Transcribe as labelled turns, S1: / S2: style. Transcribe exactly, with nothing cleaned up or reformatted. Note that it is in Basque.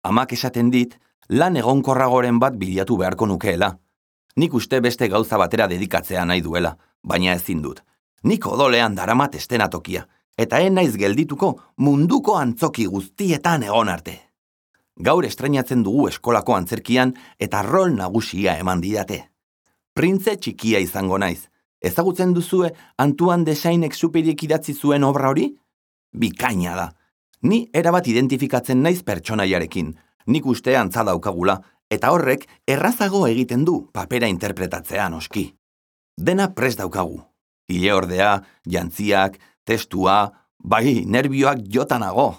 S1: Amak esaten dit, lan egonkorragoren bat bilatu beharko nukeela. Nik uste beste gauza batera dedikatzea nahi duela, baina ezin dut. Nik odolean daramat estenatokia, eta en naiz geldituko munduko antzoki guztietan egon arte. Gaur estreinatzen dugu eskolako antzerkian eta rol nagusia eman didate. Printze txikia izango naiz. Ezagutzen duzue Antoine de Saint-Exupéryk idatzi zuen obra hori? Bikaina da. Ni erabat identifikatzen naiz pertsonaiarekin, nik uste antza daukagula, eta horrek errazago egiten du papera interpretatzea noski. Dena prest daukagu. Ile ordea, jantziak, testua, bai, nerbioak jotanago.